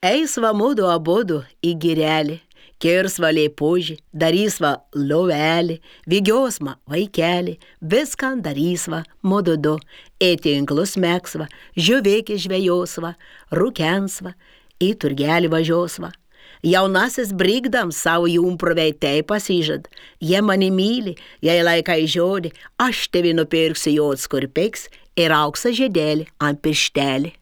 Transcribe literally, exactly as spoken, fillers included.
Eis va mudu abudu į girelį, kirs va leipužį, darys va lovelį, vygios va vaikelį, viską darys va mudu du, į tinklus meks va, žiūvėkį žvejos va, rūkens va, į turgelį važios va. Jaunasis brigdams savo jumpruvei tai pasižad, jie mani myli, jei laikai žodį, aš tevi nupirksiu jods kur piks ir auksą žiedelį ant pirštelį.